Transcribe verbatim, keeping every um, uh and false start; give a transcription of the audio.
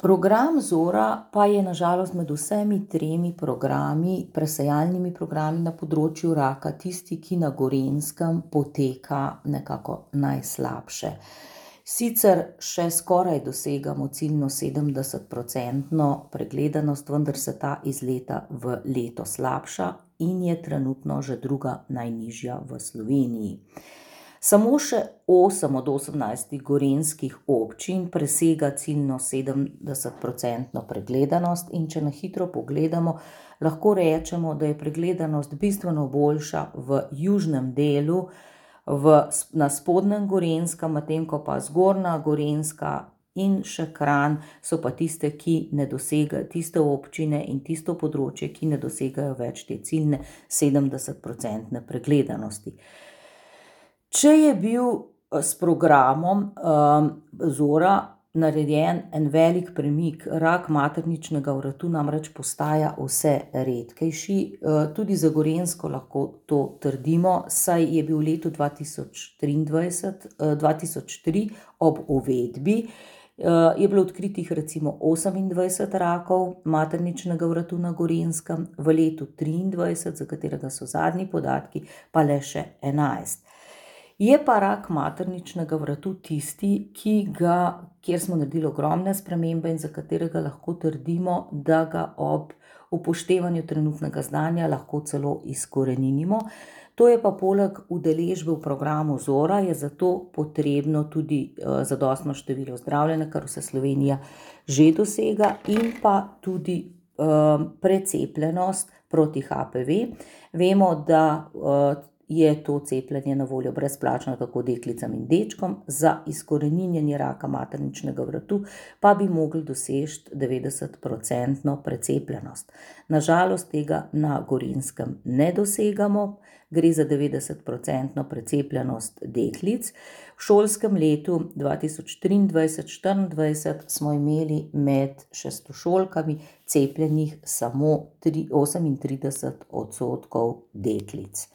Program Zora pa je na žalost med vsemi tremi programi, presejalnimi programi na področju raka, tisti, ki na Gorenjskem poteka nekako najslabše. Sicer še skoraj dosegamo ciljno sedemdesetprocentno pregledanost, vendar se ta iz leta v leto slabša in je trenutno že druga najnižja v Sloveniji. Samo še osem od osemnajstih gorenjskih občin presega ciljno sedemdesetprocentno pregledanost, in če na hitro pogledamo, lahko rečemo, da je pregledanost bistveno boljša v južnem delu, v, na spodnjem Gorenjskem, medtem ko pa zgornja Gorenjska in še Kranj so pa tiste, ki ne dosegajo, tiste občine in tisto področje, ki ne dosegajo več te ciljne sedemdesetprocentne pregledanosti. Če je bil s programom um, Zora narejen en velik premik, rak materničnega vratu namreč postaja vse redkejši, tudi za Gorenjsko lahko to trdimo, saj je bil v letu dva tisoč triindvajset, dva tisoč tri ob uvedbi, je bilo odkritih recimo osemindvajset rakov materničnega vratu na Gorenjskem, v letu triindvajset, za katerega so zadnji podatki, pa le še enajst. Je pa rak materničnega vratu tisti, ki ga, kjer smo naredili ogromne spremembe in za katerega lahko trdimo, da ga ob upoštevanju trenutnega znanja lahko celo izkoreninimo. To je pa poleg udeležbe v programu Zora je zato potrebno tudi zadostno število zdravljenja, kar vse Slovenija že dosega, in pa tudi um, precepljenost proti H P V. Vemo, da uh, je to cepljenje na voljo brezplačno tako deklicam in dečkom, za izkoreninjenje raka materničnega vratu pa bi mogli doseči devetdesetprocentno precepljenost. Na žalost tega na Gorenjskem ne dosegamo, gre za devetdesetprocentno precepljenost deklic. V šolskem letu dva tisoč triindvajset-štiriindvajset smo imeli med šestošolkami cepljenih samo osemintrideset odstotkov deklic.